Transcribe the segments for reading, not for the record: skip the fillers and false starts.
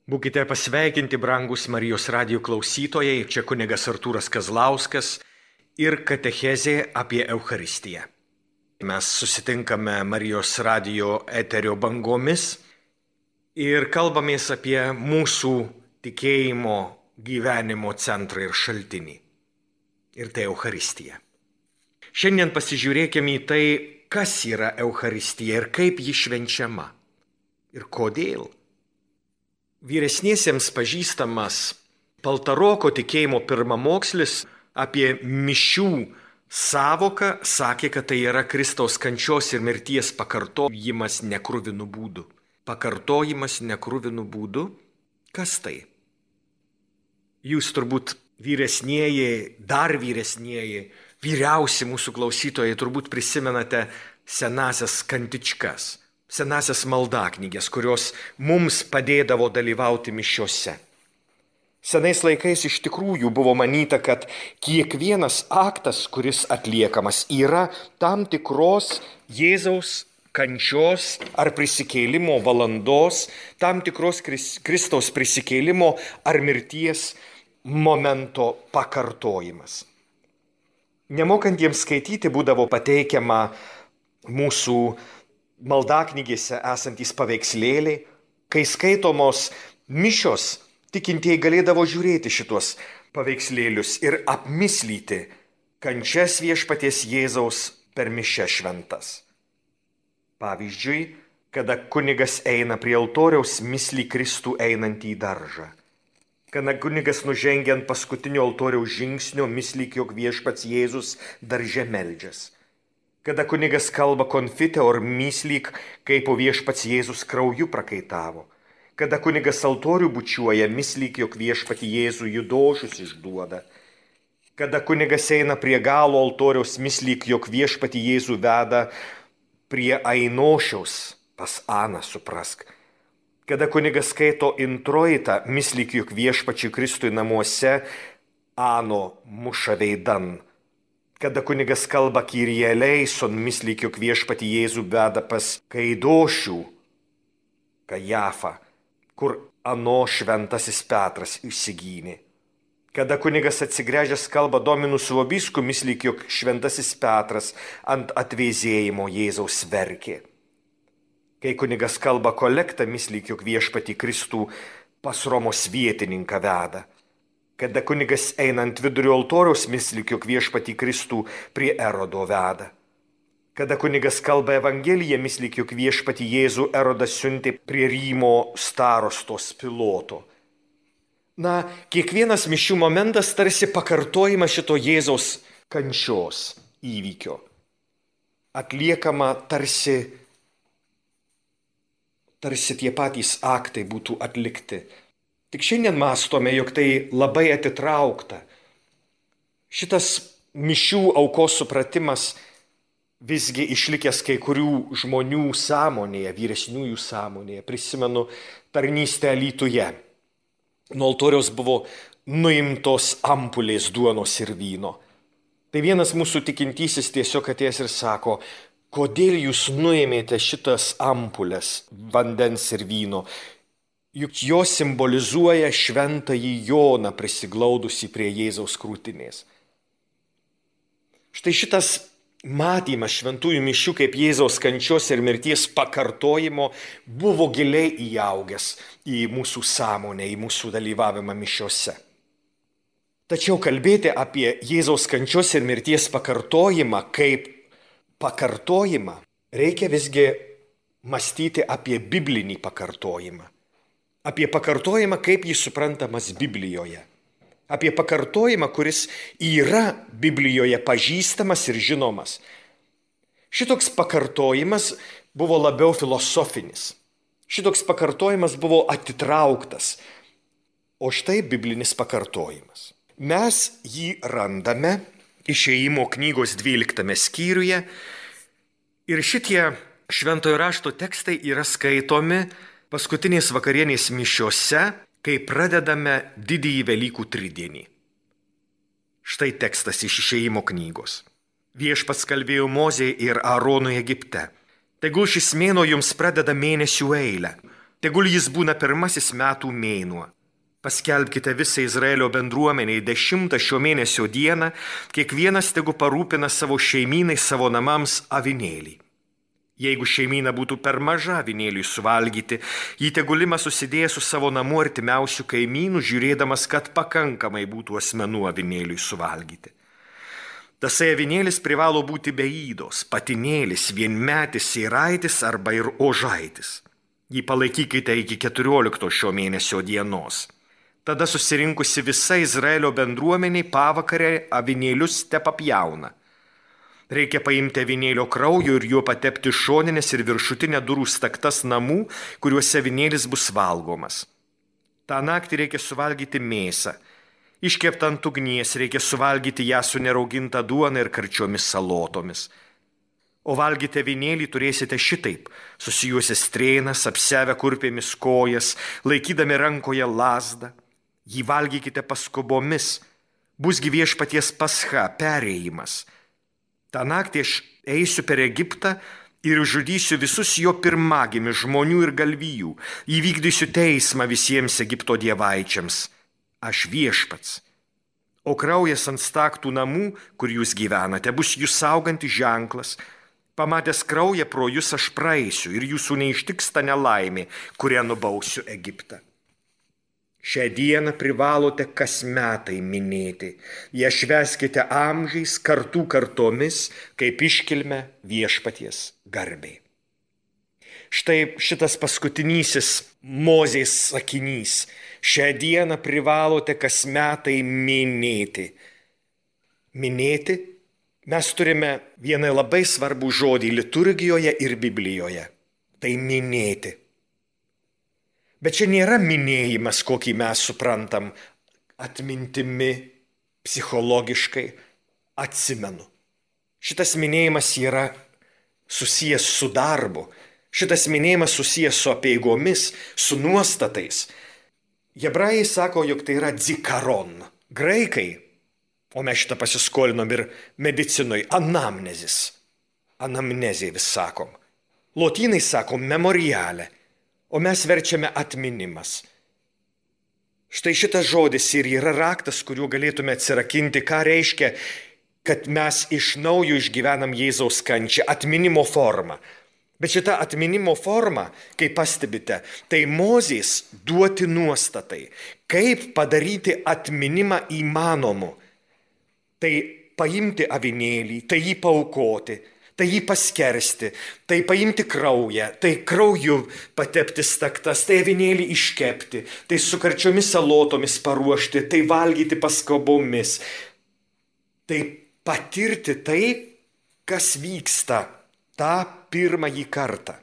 Būkite pasveikinti, brangus Marijos radijo klausytojai, čia kunigas Artūras Kazlauskas ir katechezė apie Eucharistiją. Mes susitinkame Marijos radijo eterio bangomis ir kalbamės apie mūsų tikėjimo gyvenimo centrą ir šaltinį. Ir tai Eucharistija. Šiandien pasižiūrėkime į tai, kas yra Eucharistija ir kaip ji švenčiama. Ir kodėl. Vyresniesiems pažįstamas Paltaroko tikėjimo pirmamokslis apie mišių sąvoką sakė, kad tai yra Kristaus kančios ir mirties pakartojimas nekruvinų būdų. Pakartojimas nekruvinų būdų? Kas tai? Jūs turbūt vyresnieji, dar vyresnieji, vyriausi mūsų klausytojai turbūt prisimenate senasias kantičkas. Senasias maldaknygės, kurios mums padėdavo dalyvauti mišiose. Senais laikais iš tikrųjų buvo manyta, kad kiekvienas aktas, kuris atliekamas, yra tam tikros Jėzaus kančios ar prisikėlimo valandos, tam tikros Kristaus prisikėlimo ar mirties momento pakartojimas. Nemokantiems skaityti būdavo pateikiama mūsų maldaknygėse esantys paveikslėliai, kai skaitomos mišios, tikintieji galėdavo žiūrėti šitos paveikslėlius ir apmislyti kančias viešpaties Jėzaus per mišias šventas. Pavyzdžiui, kada kunigas eina prie altoriaus, mislį Kristų einantį į daržą. Kada kunigas nužengia ant paskutinio altoriaus žingsnio, mislį, jog viešpats Jėzus darže meldžias. Kada kunigas kalba konfite, or myslyk, kaip viešpats Jėzus krauju prakaitavo. Kada kunigas altorių bučiuoja, myslyk, jog viešpatį Jėzų judošius išduoda. Kada kunigas eina prie galo altoriaus, myslyk, jog viešpatį Jėzų veda prie Ainošiaus, pas Aną suprask. Kada kunigas skaito introitą, myslyk, jog viešpačiui Kristui namuose Ano muša veidan. Kada kunigas kalba Kyrie eleison, myslyk, jog viešpatį Jėzų veda pas Kaidošių, Kajafą, kur ano šventasis Petras išsigynė. Kada kunigas atsigręžęs kalba Dominus vobiscum, myslyk, jog šventasis Petras ant atvėzėjimo Jėzaus verkė. Kai kunigas kalba kolektą, myslyk, jog viešpatį Kristų pas Romos vietininką veda. Kada kunigas eina ant vidurio altoriaus, myslyk, jog viešpatį Kristų prie Erodo veda. Kada kunigas kalba Evangeliją, myslyk, jog viešpatį Jėzų Erodas siuntė prie Rymo starostos Piloto. Na, kiekvienas mišių momentas tarsi pakartojimas šito Jėzaus kančios įvykio. Atliekama tarsi tie patys aktai būtų atlikti. Tik šiandien mąstome, jog tai labai atitraukta. Šitas mišių aukos supratimas visgi išlikęs kai kurių žmonių sąmonėje, vyresniųjų sąmonėje. Prisimenu tarnystę Alytuje. Nuo altoriaus buvo nuimtos ampulės duonos ir vyno. Tai vienas mūsų tikintysis tiesiog atėjęs ir sako, kodėl jūs nuėmėte šitas ampulės vandens ir vyno? Juk jos simbolizuoja šventąjį Joną prisiglaudusi prie Jėzaus krūtinės. Štai šitas matymas šventųjų mišių kaip Jėzaus kančios ir mirties pakartojimo buvo giliai įaugęs į mūsų sąmonę, į mūsų dalyvavimą mišiose. Tačiau kalbėti apie Jėzaus kančios ir mirties pakartojimą kaip pakartojimą reikia visgi mąstyti apie biblinį pakartojimą. Apie pakartojimą, kaip jis suprantamas Biblijoje. Apie pakartojimą, kuris yra Biblijoje pažįstamas ir žinomas. Šitoks pakartojimas buvo labiau filosofinis. Šitoks pakartojimas buvo atitrauktas. O štai biblinis pakartojimas. Mes jį randame Išėjimo knygos 12 skyriuje ir šitie šventojo rašto tekstai yra skaitomi paskutinės vakarienės mišiose, kai pradedame didįjį Velykų tridienį. Štai tekstas iš Išėjimo knygos. Viešpats kalbėjo Mozei ir Aaronui Egipte. Tegul šis mėnuo jums pradeda mėnesių eilę. tegul jis būna pirmasis metų mėnuo. Paskelbkite visą Izraelio bendruomeniai 10 šio mėnesio dieną, kiekvienas tegu parūpina savo šeimynai, savo namams avinėlį. Jeigu šeimyna būtų per maža avinėliui suvalgyti, jį tegul ima susidėjęs su savo namu artimiausių kaimynų, žiūrėdamas, kad pakankamai būtų asmenų avinėliui suvalgyti. Tasai avinėlis privalo būti be įdos, patinėlis, vienmetis, sėraitis arba ir ožaitis. Jį palaikykite iki 14 šio mėnesio dienos. Tada susirinkusi visa Izraelio bendruomeniai pavakarę avinėlius tepapjauna. Reikia paimti avinėlio kraujo ir juo patepti šoninės ir viršutinę durų staktas namų, kuriuose avinėlis bus valgomas. Ta naktį reikia suvalgyti mėsą. Iškeptą ant ugnies reikia suvalgyti ją su nerauginta duona ir karčiomis salotomis. O valgyti avinėlį turėsite šitaip, susijuosi strėnas, apsevę kurpėmis kojas, laikydami rankoje lazdą. Jį valgykite paskubomis, busgi viešpaties pascha, perėjimas. Ta naktį aš eisiu per Egiptą ir žudysiu visus jo pirmagimius žmonių ir galvijų, įvykdysiu teismą visiems Egipto dievaičiams. Aš viešpats. O kraujas ant staktų namų, kur jūs gyvenate, bus jūs saugantis ženklas. Pamatęs kraują pro jūs aš praeisiu ir jūsų neištiks ta nelaimė, kurią nubausiu Egiptą. Šią dieną privalote kas metai minėti. Ją švęskite amžiais, kartų kartomis, kaip iškilme viešpaties garbei. Štai šitas paskutinysis Mozės sakinys. Šią dieną privalote kas metai minėti. Minėti? Mes turime vieną labai svarbų žodį liturgijoje ir Biblijoje. Tai minėti. Bet čia nėra minėjimas, kokį mes suprantam, atmintimi, psichologiškai, atsimenu. Šitas minėjimas yra susijęs su darbu. Šitas minėjimas susijęs su apeigomis, su nuostatais. Hebrajai sako, jog tai yra dzikaron. Graikai, o mes šitą pasiskolinom ir medicinoj, anamnezis. Anamnezė vis sakom. Lotynai sakom memorialė. O mes verčiame atminimas. Štai šitas žodis ir yra raktas, kuriuo galėtume atsirakinti, ką reiškia, kad mes iš naujo išgyvenam Jėzaus kančią, atminimo formą. Bet šita atminimo forma, kaip pastebite, tai Mozės duoti nuostatai, kaip padaryti atminimą įmanomu. Tai paimti avinėlį, tai jį paaukoti, tai jį paskersti, tai paimti kraują, tai krauju patepti staktas, tai avinėlį iškepti, tai su karčiomis salotomis paruošti, tai valgyti paskabomis. Tai patirti tai, kas vyksta tą pirmąjį kartą.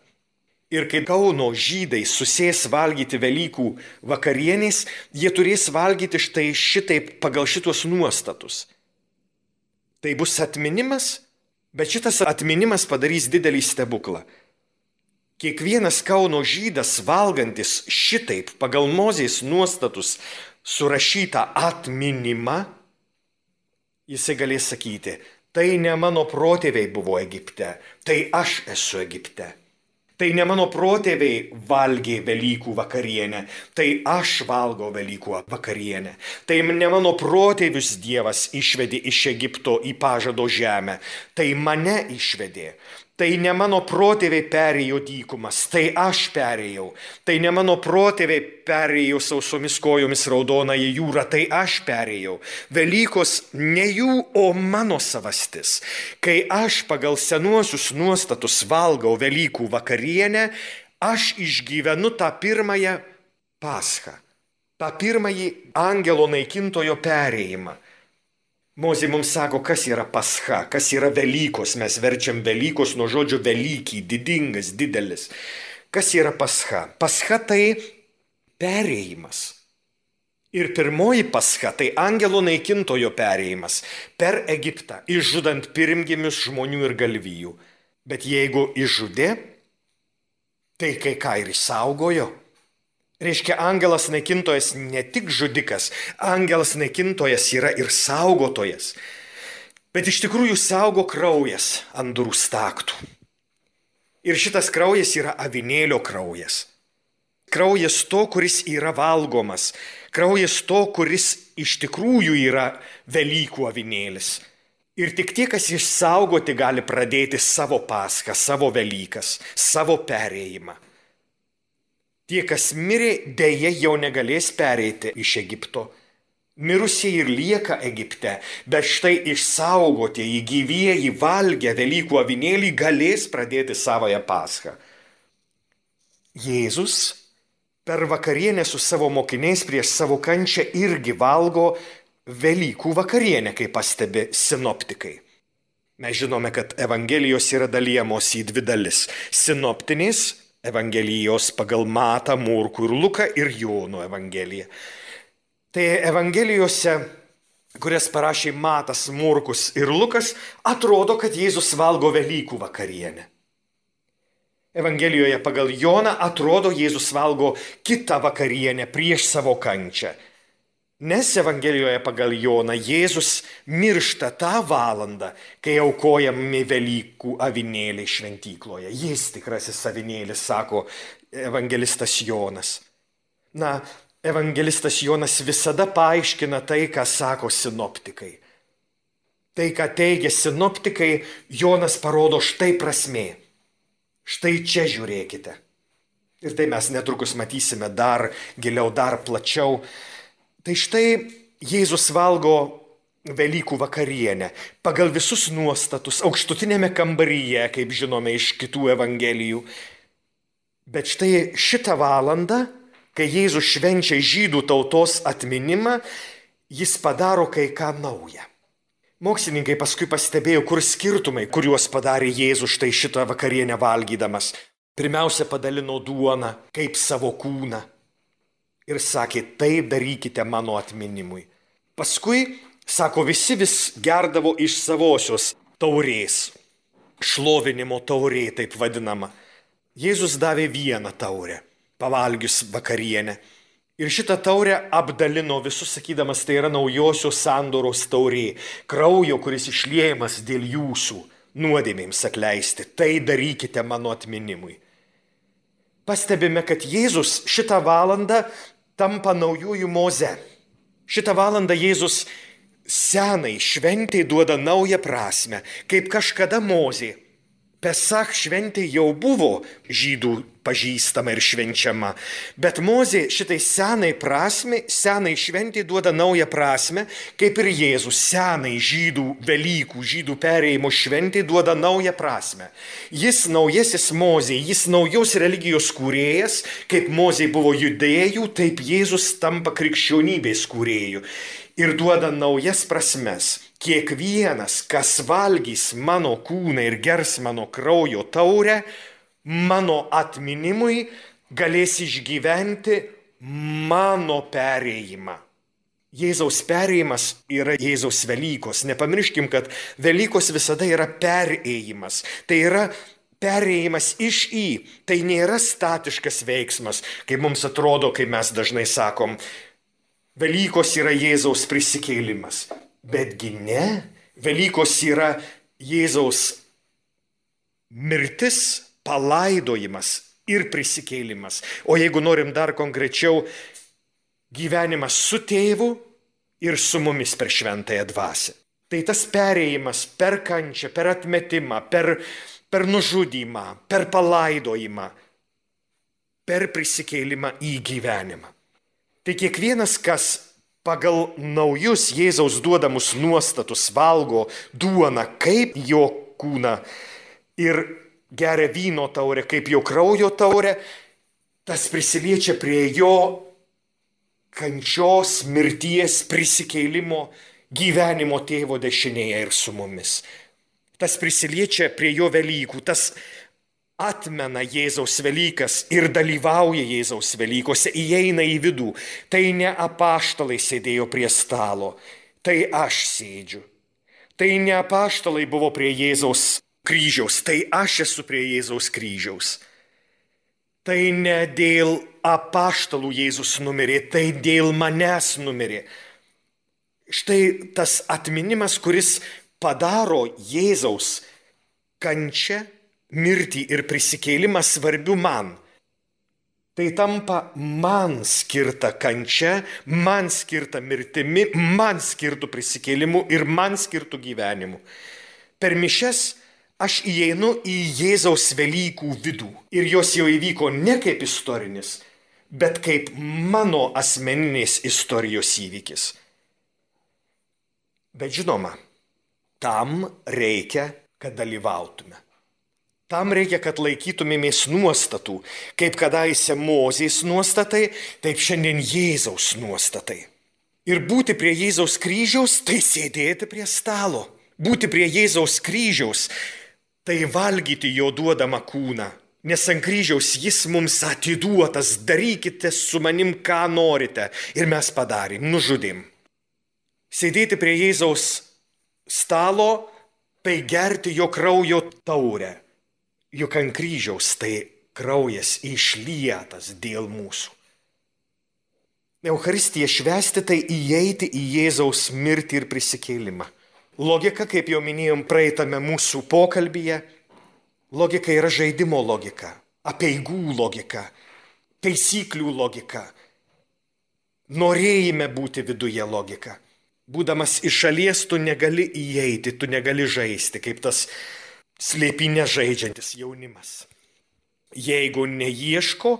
Ir kai Kauno žydai susės valgyti Velykų vakarienės, jie turės valgyti štai šitaip pagal šitos nuostatus. Tai bus atminimas. Bet šitas atminimas padarys didelį stebuklą. Kiekvienas Kauno žydas valgantis šitaip pagal Mozės nuostatus surašytą atminimą, jisai galės sakyti, tai ne mano protėviai buvo Egipte, tai aš esu Egipte. Tai ne mano protėviai valgė Velykų vakarienę, tai aš valgau Velykų vakarienę. Tai ne mano protėvius Dievas išvedė iš Egipto į pažado žemę, tai mane išvedė. Tai ne mano protėviai perėjo dykumas, tai aš perėjau. Tai ne mano protėviai perėjo sausomis kojomis raudonąją jūrą, tai aš perėjau. Velykos ne jų, o mano savastis. Kai aš pagal senuosius nuostatus valgau Velykų vakarienę, aš išgyvenu tą pirmąją paschą, tą pirmąjį angelo naikintojo perėjimą. Mozė mums sako, kas yra pascha, kas yra Velykos. Mes verčiam Velykos nuo žodžio Velykiai, didingas, didelis. Kas yra pascha? Pascha tai perėjimas. Ir pirmoji pascha tai angelo naikintojo perėjimas per Egiptą, išžudant pirmgimius žmonių ir galvijų. Bet jeigu išžudė, tai kai ką ir išsaugojo. Reiškia, angelas naikintojas ne tik žudikas, angelas naikintojas yra ir saugotojas. Bet iš tikrųjų saugo kraujas ant durų staktų. Ir šitas kraujas yra avinėlio kraujas. kraujas to, kuris yra valgomas, kraujas to, kuris iš tikrųjų yra Velykų avinėlis. Ir tik tie, kas išsaugoti, gali pradėti savo Paschą, savo Velykas, savo perėjimą. Tie, kas mirė, dėja jau negalės pereiti iš Egipto. Mirusieji ir lieka Egipte, bet štai išsaugotieji, gyvieji, valgę Velykų avinėlį galės pradėti savąją Paschą. Jėzus per vakarienę su savo mokiniais prieš savo kančią irgi valgo Velykų vakarienę, kaip pastebi sinoptikai. Mes žinome, kad evangelijos yra dalijamos į dvi dalis. Sinoptinės evangelijos pagal Matą, Morkų ir Luką ir Jono evangeliją. Tai evangelijose, kurias parašė Matas, Morkus ir Lukas, atrodo, kad Jėzus valgo Velykų vakarienę. Evangelijoje pagal Joną atrodo, Jėzus valgo kitą vakarienę prieš savo kančią. Nes Evangelijoje pagal Joną Jėzus miršta tą valandą, kai aukojami Velykų avinėliai šventykloje. Jis tikrasis avinėlis, sako evangelistas Jonas. Evangelistas Jonas visada paaiškina tai, ką sako sinoptikai. Tai, ką teigia sinoptikai, Jonas parodo štai prasmė. Štai čia žiūrėkite. Ir tai mes netrukus matysime dar giliau, dar plačiau. Tai štai Jėzus valgo Velykų vakarienę pagal visus nuostatus aukštutinėme kambaryje, kaip žinome iš kitų evangelijų. Bet štai šitą valandą, kai Jėzus švenčia žydų tautos atminimą, jis padaro kai ką naują. Mokslininkai paskui pastebėjo, kur skirtumai, kuriuos padarė Jėzus štai šitą vakarienę valgydamas. Pirmiausia, padalino duoną kaip savo kūną. Ir sakė, tai darykite mano atminimui. Paskui, sako, visi vis gerdavo iš savosios taurės. Šlovinimo taurė, taip vadinama. Jėzus davė vieną taurę, pavalgius vakarienę. Ir šitą taurę apdalino visus, sakydamas, tai yra naujosios sandoros taurė, kraujo, kuris išliejamas dėl jūsų nuodėmėms atleisti. Tai darykite mano atminimui. Pastebime, kad Jėzus šitą valandą tampa naujųjų Moze. Šitą valandą Jėzus senai šventei duoda naują prasme, kaip kažkada Mozė. Pesach šventė jau buvo žydų pažįstama ir švenčiama, bet Mozė šitai senai šventė duoda naują prasme, kaip ir Jėzus senai žydų Velykų, žydų perėjimo šventė duoda naują prasme. Jis naujasis Mozė, jis naujos religijos kūrėjas, kaip Mozė buvo judėjų, taip Jėzus tampa krikščionybės kūrėjų ir duoda naujas prasmes. Kiekvienas, kas valgys mano kūną ir gers mano kraujo taurę, mano atminimui galės išgyventi mano perėjimą. Jėzaus perėjimas yra Jėzaus Velykos. Nepamirškim, kad Velykos visada yra perėjimas. Tai yra perėjimas iš į. Tai nėra statiškas veiksmas, kaip mums atrodo, kai mes dažnai sakom, Velykos yra Jėzaus prisikėlimas. Betgi ne, Velykos yra Jėzaus mirtis, palaidojimas ir prisikėlimas. O jeigu norim dar konkrečiau, gyvenimas su tėvu ir su mumis per šventąją dvasią. Tai tas perėjimas per kančią, per atmetimą, per nužudymą, per palaidojimą, per prisikėlimą į gyvenimą. Tai kiekvienas, kas pagal naujus Jėzaus duodamus nuostatus valgo duoną kaip jo kūną ir geria vyno taurę kaip jo kraujo taurę, tas prisiliečia prie jo kančios, mirties, prisikėlimo, gyvenimo tėvo dešinėje ir su mumis. Tas prisiliečia prie jo Velykų, tas atmena Jėzaus Velykas ir dalyvauja Jėzaus Velykose, įeina į vidų. Tai ne apaštalai sėdėjo prie stalo, tai aš sėdžiu. Tai ne apaštalai buvo prie Jėzaus kryžiaus, tai aš esu prie Jėzaus kryžiaus. Tai ne dėl apaštalų Jėzus numirė, tai dėl manęs numirė. Štai tas atminimas, kuris padaro Jėzaus kančią, mirtį ir prisikėlimą svarbiu man. Tai tampa man skirta kančia, man skirta mirtimi, man skirtų prisikėlimu ir man skirtų gyvenimu. Per mišias aš įeinu į Jėzaus Velykų vidų ir jos jau įvyko ne kaip istorinis, bet kaip mano asmeninės istorijos įvykis. Bet žinoma, tam reikia, kad dalyvautume. Tam reikia, kad laikytumėmės nuostatų, kaip kadaise Mozės nuostatai, taip šiandien Jėzaus nuostatai. Ir būti prie Jėzaus kryžiaus, tai sėdėti prie stalo. Būti prie Jėzaus kryžiaus, tai valgyti jo duodamą kūną. Nes ant kryžiaus jis mums atiduotas, darykite su manim, ką norite. Ir mes padarėm, nužudėm. Sėdėti prie Jėzaus stalo, tai gerti jo kraujo taurę. Juk ant kryžiaus tai kraujas išlietas dėl mūsų. Eucharistiją švęsti tai įeiti į Jėzaus mirtį ir prisikėlimą. Logika, kaip jau minėjom praeitame mūsų pokalbyje, logika yra žaidimo logika, apeigų logika, taisyklių logika, norėjime būti viduje logika. Būdamas iš šalies tu negali įeiti, tu negali žaisti, kaip tas slėpinę žaidžiantis jaunimas. Jeigu neieško,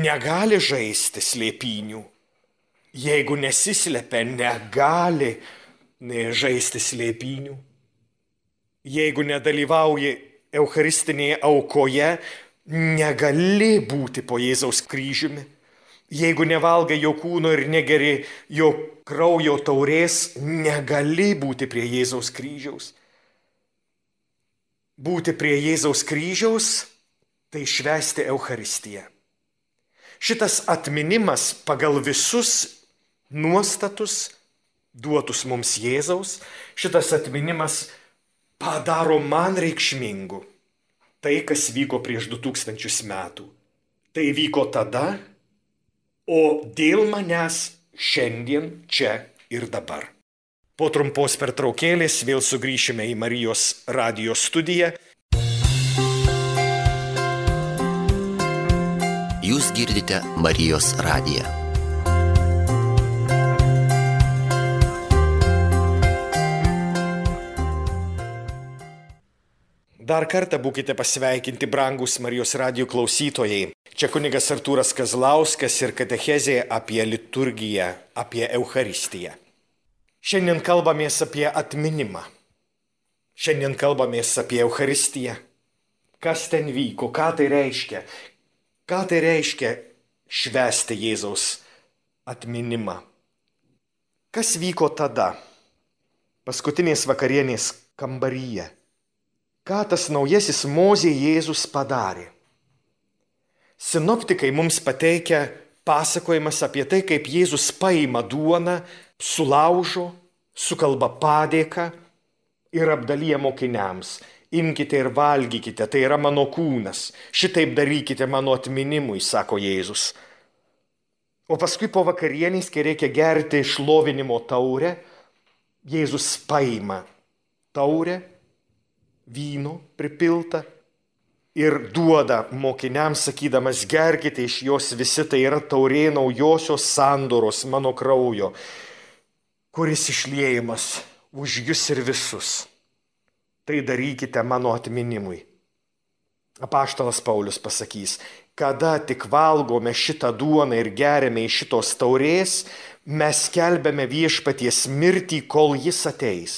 negali žaisti slėpinių. Jeigu nesislepia, negali žaisti slėpinių. Jeigu nedalyvauji eucharistinėje aukoje, negali būti po Jėzaus kryžiumi. Jeigu nevalgai jo kūno ir negeri jo kraujo taurės, negali būti prie Jėzaus kryžiaus. Būti prie Jėzaus kryžiaus, tai švęsti Eucharistiją. Šitas atminimas pagal visus nuostatus duotus mums Jėzaus, šitas atminimas padaro man reikšmingu tai, kas vyko prieš 2000 metų. Tai vyko tada, o dėl manęs šiandien, čia ir dabar. Po trumpos pertraukėlės vėl sugrįšime į Marijos radijo studiją. Jūs girdite Marijos radiją. Dar kartą būkite pasveikinti, brangūs Marijos radijo klausytojai. Čia kunigas Artūras Kazlauskas ir katechezė apie liturgiją, apie Eucharistiją. Šiandien kalbamės apie atminimą. Šiandien kalbamės apie Eucharistiją. Kas ten vyko, ką tai reiškia? Ką tai reiškia švęsti Jėzaus atminimą? Kas vyko tada, paskutinės vakarienės kambaryje? Ką tas naujasis Mozė Jėzus padarė? Sinoptikai mums pateikia pasakojimas apie tai, kaip Jėzus paima duoną, sulaužo, sukalba padėką ir apdalyja mokiniams. Imkite ir valgykite, tai yra mano kūnas. Šitaip darykite mano atminimui, sako Jėzus. O paskui po vakarienės, kai reikia gerti šlovinimo taurę, Jėzus paima taurę, vyno pripilta ir duoda mokiniams, sakydamas, gerkite iš jos visi, tai yra taurė naujosios sandoros mano kraujo, kuris išliejimas už jus ir visus. Tai darykite mano atminimui. Apaštalas Paulius pasakys, kada tik valgome šitą duoną ir geriame iš šitos taurės, mes skelbiame viešpaties mirtį, kol jis ateis.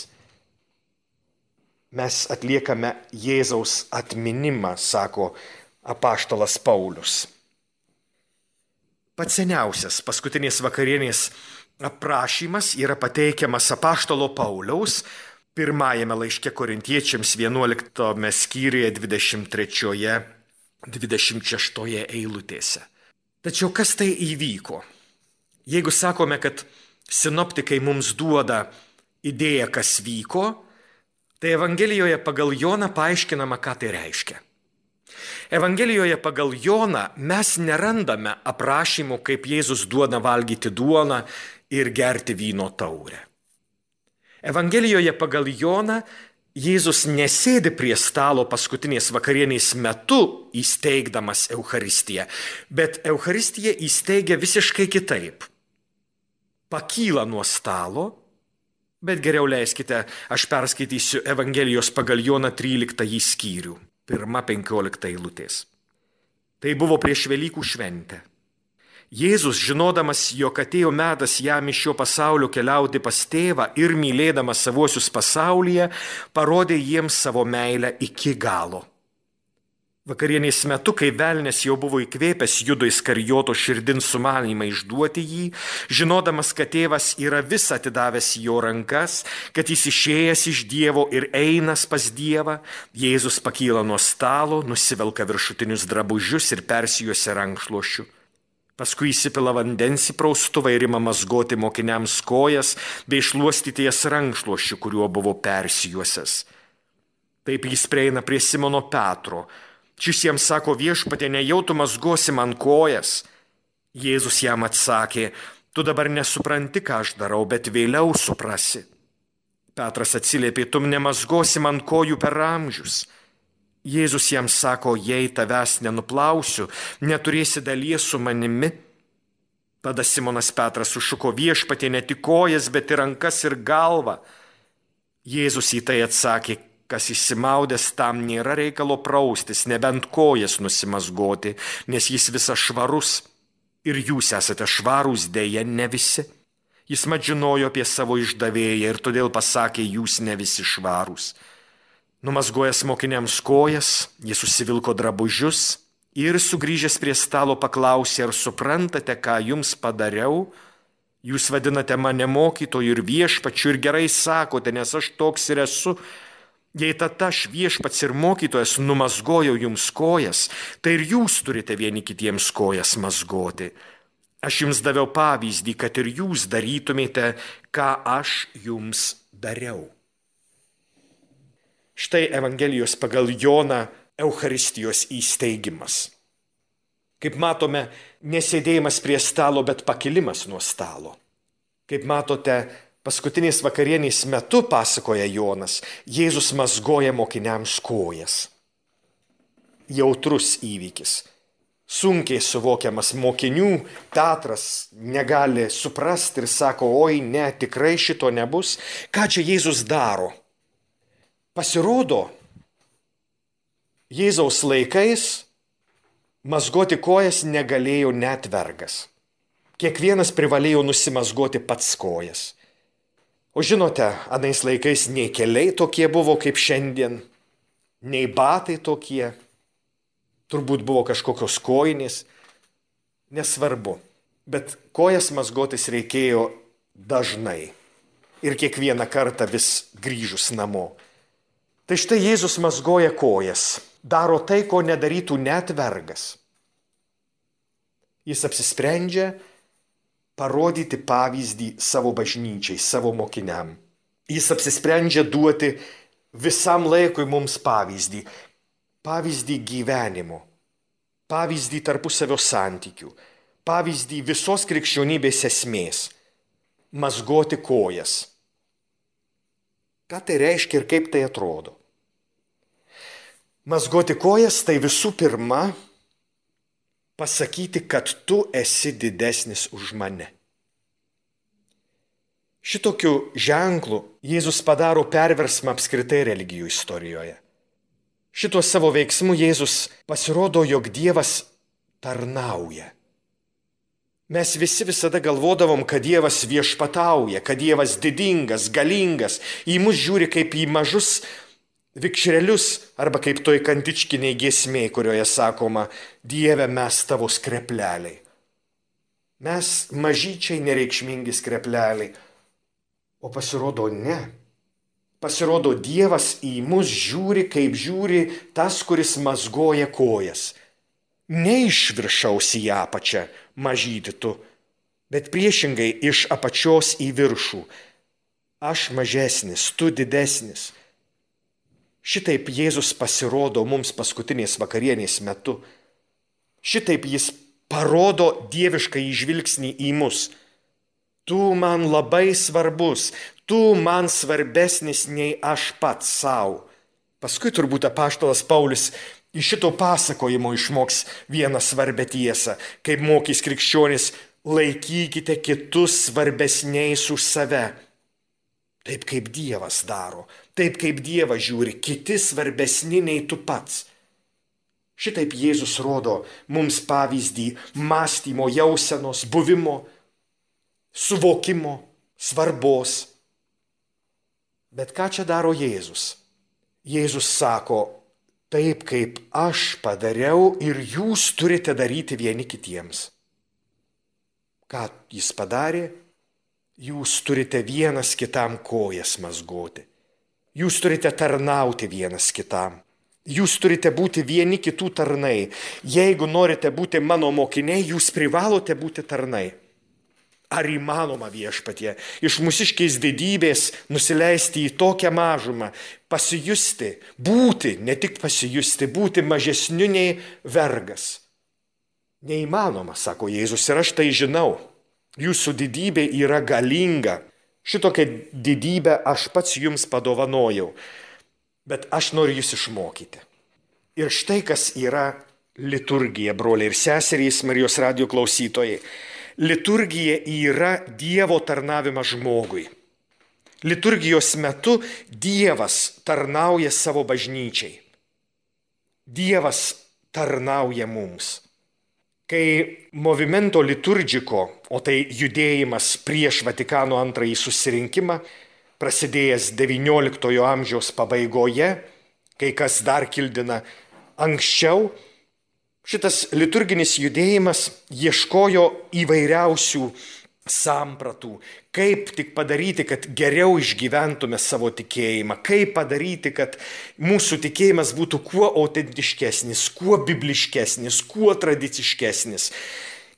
Mes atliekame Jėzaus atminimą, sako apaštalas Paulius. Pats seniausias paskutinės vakarienės aprašymas yra pateikiamas apaštalo Pauliaus pirmajame laiške Korintiečiams 11 skyriuje 23-26 eilutėse. Tačiau kas tai įvyko? Jeigu sakome, kad sinoptikai mums duoda idėją, kas vyko, tai Evangelijoje pagal Joną paaiškinama, ką tai reiškia. Evangelijoje pagal Joną mes nerandame aprašymų, kaip Jėzus duoda valgyti duoną ir gerti vyno taurę. Evangelijoje pagal Joną Jėzus nesėdi prie stalo paskutinės vakarienės metu įsteigdamas Eucharistiją, bet Eucharistiją įsteigia visiškai kitaip. Pakyla nuo stalo, bet geriau leiskite, aš perskaitysiu Evangelijos pagal Joną 13 skyrių, 1-15 eilutės. Tai buvo prieš Velykų šventę. Jėzus, žinodamas, jog atėjo metas jam iš šio pasaulio keliauti pas tėvą ir mylėdamas savuosius pasaulyje, parodė jiems savo meilę iki galo. Vakarienės metu, kai velnias jau buvo įkvėpęs Judo Iskarijoto širdin sumanymą išduoti jį, žinodamas, kad tėvas yra visą atidavęs į jo rankas, kad jis išėjęs iš Dievo ir einas pas Dievą, Jėzus pakyla nuo stalo, nusivelka viršutinius drabužius ir persijuosia rankšluosčiu. Paskui įsipila vandens į praustuvą ir ima mazgoti mokiniams kojas bei šluostyti jas rankšluosčiu, kuriuo buvo persijuosęs. Taip jis prieina prie Simono Petro. Šis jam sako: Viešpatie, nejau tu mazgosi man kojas. Jėzus jam atsakė: Tu dabar nesupranti, ką aš darau, bet vėliau suprasi. Petras atsiliepė: Tu nemazgosi man kojų per amžius. Jėzus jam sako: Jei tavęs nenuplausiu, neturėsi dalies su manimi. Tada Simonas Petras sušuko: Viešpatie, ne tik kojas, bet ir rankas ir galvą. Jėzus į tai atsakė: Kas išsimaudęs, tam nėra reikalo praustis, nebent kojas nusimazgoti, nes jis visas švarus. Ir jūs esate švarūs, dėja ne visi. Jis mat žinojo apie savo išdavėją ir todėl pasakė: Jūs ne visi švarūs. Numazgojęs mokiniams kojas, jis susivilko drabužius ir sugrįžęs prie stalo paklausė: Ar suprantate, ką jums padariau? Jūs vadinate mane mokytoju ir viešpačiu ir gerai sakote, nes aš toks ir esu. Jei tad aš, viešpats ir mokytojas, numazgojau jums kojas, tai ir jūs turite vieni kitiems kojas mazgoti. Aš jums daviau pavyzdį, kad ir jūs darytumėte, ką aš jums dariau. Štai Evangelijos pagal Joną Eucharistijos įsteigimas. Kaip matome, nesėdėjimas prie stalo, bet pakilimas nuo stalo. Kaip matote, paskutinės vakarienės metu, pasakoja Jonas, Jėzus mazgoja mokiniams kojas. Jautrus įvykis. Sunkiai suvokiamas mokinių. Petras negali suprasti ir sako: Oi, ne, tikrai šito nebus. Ką čia Jėzus daro? Pasirodo, Jėzaus laikais mazgoti kojas negalėjo net vergas. Kiekvienas privalėjo nusimazgoti pats kojas. O žinote, anais laikais nei keliai tokie buvo kaip šiandien, nei batai tokie, turbūt buvo kažkokios kojinės, nesvarbu, bet kojas mazgotis reikėjo dažnai ir kiekvieną kartą vis grįžus namo. Tai štai Jėzus mazgoja kojas, daro tai, ko nedarytų net vergas. Jis apsisprendžia parodyti pavyzdį savo bažnyčiai, savo mokiniam. Jis apsisprendžia duoti visam laikui mums pavyzdį. Pavyzdį gyvenimo, pavyzdį tarpusavio santykių, pavyzdį visos krikščionybės esmės. Mazgoti kojas. Ką tai reiškia ir kaip tai atrodo? Mazgoti kojas tai visų pirma pasakyti, kad tu esi didesnis už mane. Šitokiu ženklu Jėzus padaro perversmą apskritai religijų istorijoje. Šituo savo veiksmu Jėzus pasirodo, jog Dievas tarnauja. Mes visi visada galvodavom, kad Dievas viešpatauja, kad Dievas didingas, galingas, į mus žiūri kaip į mažus vikšrelius, arba kaip toj kantičkiniai giesmėj, kurioje sakoma: Dieve, mes tavo skrepleliai. Mes mažyčiai nereikšmingi skrepleliai. O pasirodo ne. Pasirodo, Dievas į mus žiūri, kaip žiūri tas, kuris mazgoja kojas. Ne iš viršaus į apačią, mažyti tu, bet priešingai iš apačios į viršų. Aš mažesnis, tu didesnis. Šitaip Jėzus pasirodo mums paskutinės vakarienės metu. Šitaip jis parodo dievišką žvilgsnį į mus. Tu man labai svarbus, tu man svarbesnis nei aš pats savo. Paskui turbūt apaštalas Paulius iš šito pasakojimo išmoks vieną svarbę tiesą, kaip mokys krikščionis, laikykite kitus svarbesniais už save. Taip kaip Dievas daro, taip kaip Dievas žiūri, kiti svarbesni nei tu pats. Šitaip Jėzus rodo mums pavyzdį mąstymo, jausenos, buvimo, suvokimo, svarbos. Bet ką čia daro Jėzus? Jėzus sako, taip kaip aš padariau ir jūs turite daryti vieni kitiems. Ką jis padarė? Jūs turite vienas kitam kojas mazgoti. Jūs turite tarnauti vienas kitam. Jūs turite būti vieni kitų tarnai. Jeigu norite būti mano mokiniai, jūs privalote būti tarnai. Ar įmanoma Viešpatie iš mūsiškės didybės nusileisti į tokią mažumą, pasijusti, būti, ne tik pasijusti, būti mažesniu nei vergas? Neįmanoma, sako Jėzus, ir aš tai žinau. Jūsų didybė yra galinga. Šitokią didybę aš pats jums padovanojau. Bet aš noriu jūs išmokyti. Ir štai kas yra liturgija, broliai ir seserys, Marijos radijo klausytojai. Liturgija yra Dievo tarnavimas žmogui. Liturgijos metu Dievas tarnauja savo bažnyčiai. Dievas tarnauja mums. Kai Movimento Liturgico, o tai judėjimas prieš Vatikano II susirinkimą, prasidėjęs XIX amžiaus pabaigoje, kai kas dar kildina anksčiau, šitas liturginis judėjimas ieškojo įvairiausių sampratų, kaip tik padaryti, kad geriau išgyventume savo tikėjimą, kaip padaryti, kad mūsų tikėjimas būtų kuo autentiškesnis, kuo bibliškesnis, kuo tradiciškesnis.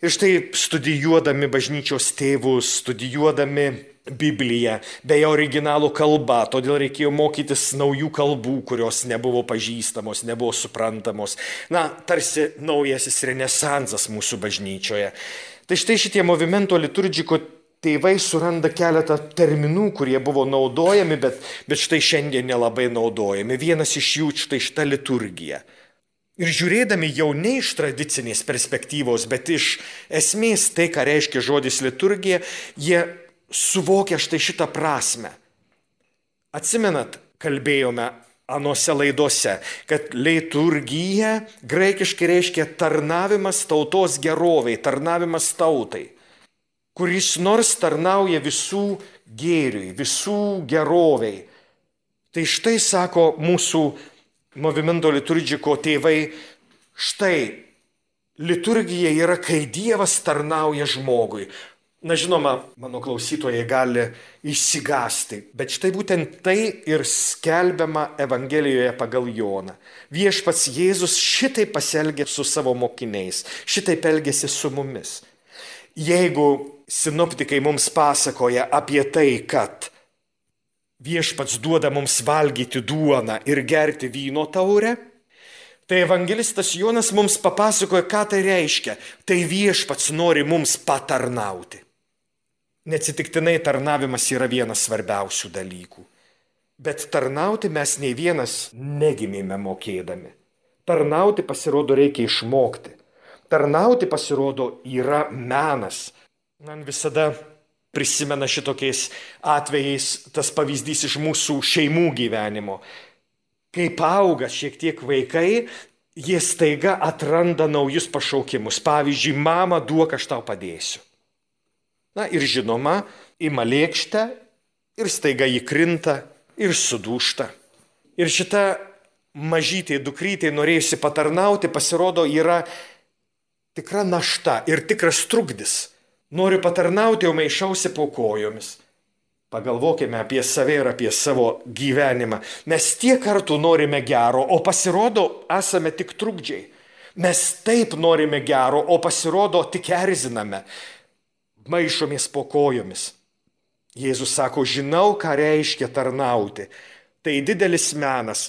Ir štai studijuodami bažnyčios tėvus, studijuodami Bibliją, beje originalų kalba, todėl reikėjo mokytis naujų kalbų, kurios nebuvo pažįstamos, nebuvo suprantamos. Tarsi naujasis renesansas mūsų bažnyčioje. Tai štai šitie Movimento Liturgico tėvai suranda keletą terminų, kurie buvo naudojami, bet štai šiandien nelabai naudojami. Vienas iš jų štai šita liturgija. Ir žiūrėdami jau ne iš tradicinės perspektyvos, bet iš esmės tai, ką reiškia žodis liturgija, jie suvokia štai šitą prasme. Atsimenat, kalbėjome anose laidose, kad liturgija graikiškai reiškia tarnavimas tautos geroviai, tarnavimas tautai, kuris nors tarnauja visų gėriui, visų geroviai. Tai štai sako mūsų Movimento Liturgico tėvai, štai liturgija yra, kai Dievas tarnauja žmogui. Žinoma, mano klausytojai gali išsigąsti, bet štai būtent tai ir skelbiama Evangelijoje pagal Joną. Viešpats Jėzus šitai pasielgė su savo mokiniais, šitai elgėsi su mumis. Jeigu sinoptikai mums pasakoja apie tai, kad Viešpats duoda mums valgyti duoną ir gerti vyno taurę, tai evangelistas Jonas mums papasakoja, ką tai reiškia. Tai Viešpats nori mums patarnauti. Neatsitiktinai tarnavimas yra vienas svarbiausių dalykų. Bet tarnauti mes nei vienas negimėme mokėdami. Tarnauti pasirodo reikia išmokti. Tarnauti pasirodo yra menas. Man visada prisimena šitokiais atvejais tas pavyzdys iš mūsų šeimų gyvenimo. Kai auga šiek tiek vaikai, jie staiga atranda naujus pašaukimus. Pavyzdžiui, mama, duok, aš tau padėsiu. Ir žinoma, ima lėkštę ir staiga jį krinta ir sudūžta. Ir šita mažytė dukrytė norėjusi patarnauti, pasirodo, yra tikra našta ir tikras trukdis. Noriu patarnauti, o maišausi po kojomis. Pagalvokime apie save ir apie savo gyvenimą. Mes tiek kartų norime gero, o pasirodo, esame tik trukdžiai. Mes taip norime gero, o pasirodo, tik erziname. Maišomės po kojomis. Jėzus sako, žinau, ką reiškia tarnauti. Tai didelis menas.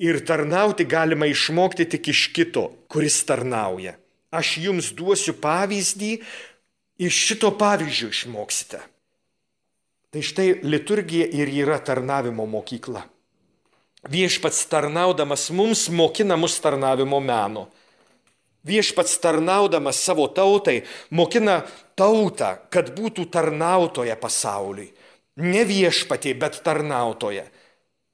Ir tarnauti galima išmokti tik iš kito, kuris tarnauja. Aš jums duosiu pavyzdį, iš šito pavyzdžio išmoksite. Tai štai liturgija ir yra tarnavimo mokykla. Viešpats tarnaudamas mums mokina mus tarnavimo meno. Viešpats tarnaudamas savo tautai mokina tautą, kad būtų tarnautoja pasauliui. Ne viešpatie, bet tarnautoja.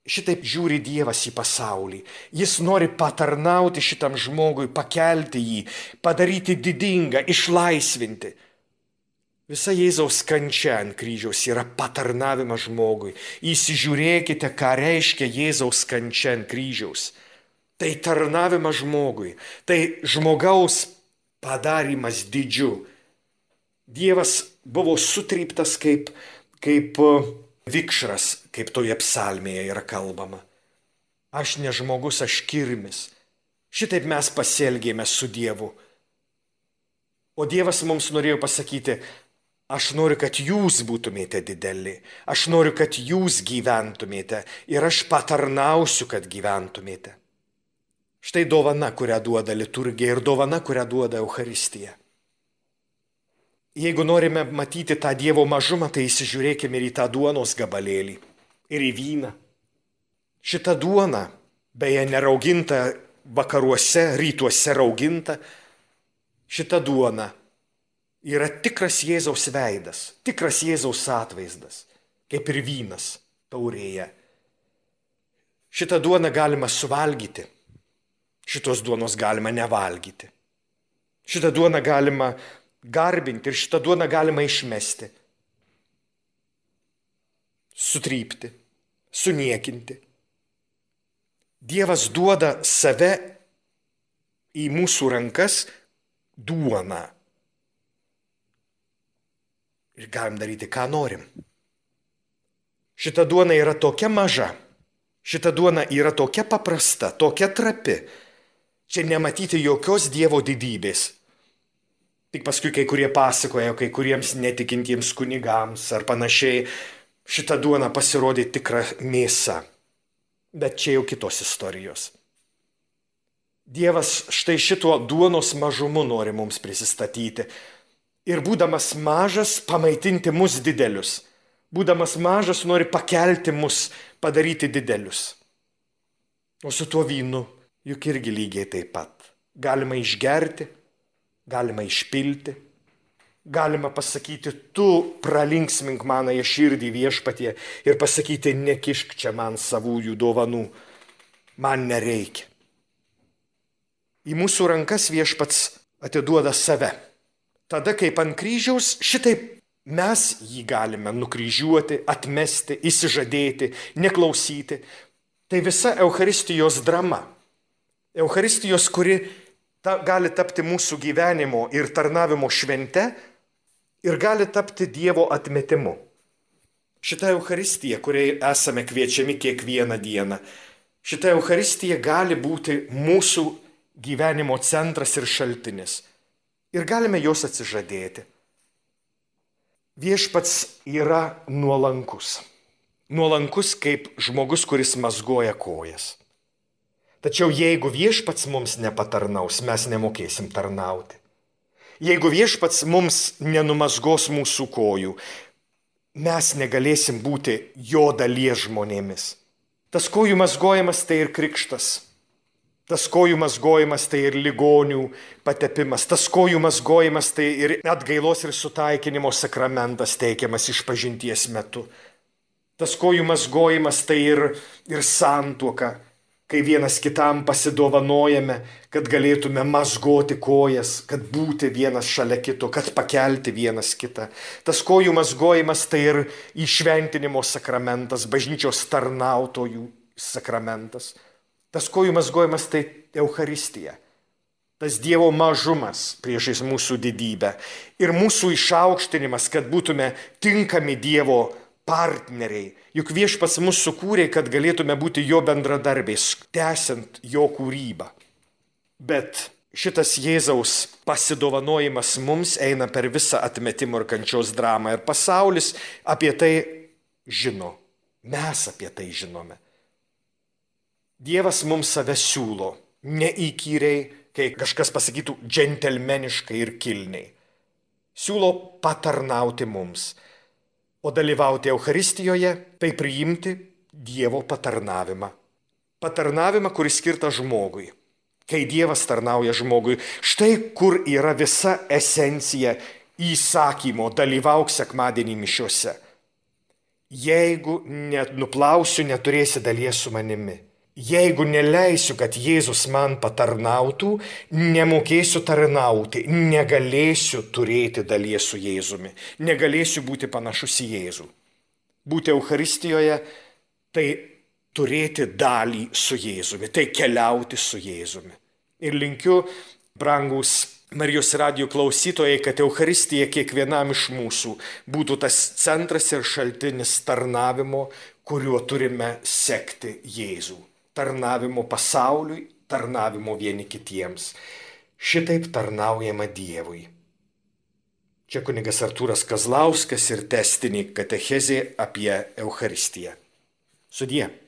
Šitaip žiūri Dievas į pasaulį. Jis nori patarnauti šitam žmogui, pakelti jį, padaryti didingą, išlaisvinti. Visa Jėzaus kančia ant kryžiaus yra patarnavimas žmogui. Įsižiūrėkite, ką reiškia Jėzaus kančia ant kryžiaus. Tai tarnavimas žmogui, tai žmogaus padarimas didžiu. Dievas buvo sutryptas kaip vikšras, kaip toje psalmėje yra kalbama. Aš ne žmogus, aš kirmis. Šitaip mes pasielgėme su Dievu. O Dievas mums norėjo pasakyti, aš noriu, kad jūs būtumėte dideli, aš noriu, kad jūs gyventumėte ir aš patarnausiu, kad gyventumėte. Štai dovana, kurią duoda liturgija ir dovana, kurią duoda Eucharistija. Jeigu norime matyti tą Dievo mažumą, tai įsižiūrėkime ir į tą duonos gabalėlį, ir į vyną. Šita duona, beje, nerauginta vakaruose, rytuose rauginta, šita duona yra tikras Jėzaus veidas, tikras Jėzaus atvaizdas, kaip ir vynas taurėje. Šitą duoną galima suvalgyti, šitos duonos galima nevalgyti. Šitą duoną galima garbinti ir šitą duoną galima išmesti, sutrypti, suniekinti. Dievas duoda save į mūsų rankas duoną. Ir galim daryti, ką norim. Šita duona yra tokia maža, šita duona yra tokia paprasta, tokia trapi. Čia nematyti jokios Dievo didybės. Tik paskui kai kurie pasakoja, kai kuriems netikintiems kunigams ar panašiai, šita duona pasirodė tikra mėsa. Bet čia jau kitos istorijos. Dievas štai šituo duonos mažumu nori mums prisistatyti. Ir būdamas mažas, pamaitinti mus didelius. Būdamas mažas, nori pakelti mus, padaryti didelius. O su tuo vynu juk irgi lygiai taip pat. Galima išgerti, galima išpilti, galima pasakyti, tu pralinksmink manąją širdį Viešpatie ir pasakyti, nekišk čia man savųjų dovanų, man nereikia. Į mūsų rankas Viešpats atiduoda save. Tada, kaip ant kryžiaus, šitaip mes jį galime nukryžiuoti, atmesti, įsižadėti, neklausyti. Tai visa Eucharistijos drama. Eucharistijos, kuri gali tapti mūsų gyvenimo ir tarnavimo švente ir gali tapti Dievo atmetimu. Šita Eucharistija, kuriai esame kviečiami kiekvieną dieną, šita Eucharistija gali būti mūsų gyvenimo centras ir šaltinis. Ir galime jos atsižadėti. Viešpats yra nuolankus. Nuolankus kaip žmogus, kuris mazgoja kojas. Tačiau jeigu Viešpats mums nepatarnaus, mes nemokėsim tarnauti. Jeigu Viešpats mums nenumazgos mūsų kojų, mes negalėsim būti jo dalies žmonėmis. Tas kojų mazgojimas tai ir krikštas. Tas kojų mazgojimas tai ir ligonių patepimas. Tas kojų mazgojimas tai ir atgailos ir sutaikinimo sakramentas teikiamas išpažinties metu. Tas kojų mazgojimas tai ir santuoka, kai vienas kitam pasidovanojame, kad galėtume mazgoti kojas, kad būti vienas šalia kito, kad pakelti vienas kitą. Tas kojų mazgojimas tai ir įšventinimo sakramentas, bažnyčios tarnautojų sakramentas. Tas kojų mazgojimas tai Eucharistija. Tas Dievo mažumas priešais mūsų didybę. Ir mūsų išaukštinimas, kad būtume tinkami Dievo partneriai. Juk Viešpats mus sukūrė, kad galėtume būti jo bendradarbiais, tęsiant jo kūrybą. Bet šitas Jėzaus pasidovanojimas mums eina per visą atmetimo ir kančios dramą. Ir pasaulis apie tai žino. Mes apie tai žinome. Dievas mums save siūlo, neįkyriai, kai kažkas pasakytų džentelmeniškai ir kilniai. Siūlo patarnauti mums. O dalyvauti Eucharistijoje tai priimti Dievo patarnavimą. Patarnavimą, kuris skirtas žmogui. Kai Dievas tarnauja žmogui, štai kur yra visa esencija įsakymo dalyvauk sekmadienį mišiuose. Jeigu nuplausiu, neturėsi dalies su manimi. Jeigu neleisiu, kad Jėzus man patarnautų, nemokėsiu tarnauti, negalėsiu turėti dalies su Jėzumi, negalėsiu būti panašus į Jėzų. Būti Eucharistijoje tai turėti dalį su Jėzumi, tai keliauti su Jėzumi. Ir linkiu, brangus Marijos radijo klausytojai, kad Eucharistija kiekvienam iš mūsų būtų tas centras ir šaltinis tarnavimo, kuriuo turime sekti Jėzų. Tarnavimo pasauliui, tarnavimo vieni kitiems. Šitaip tarnaujama Dievui. Čia kunigas Artūras Kazlauskas ir tęstinė katechezė apie Eucharistiją. Sudie.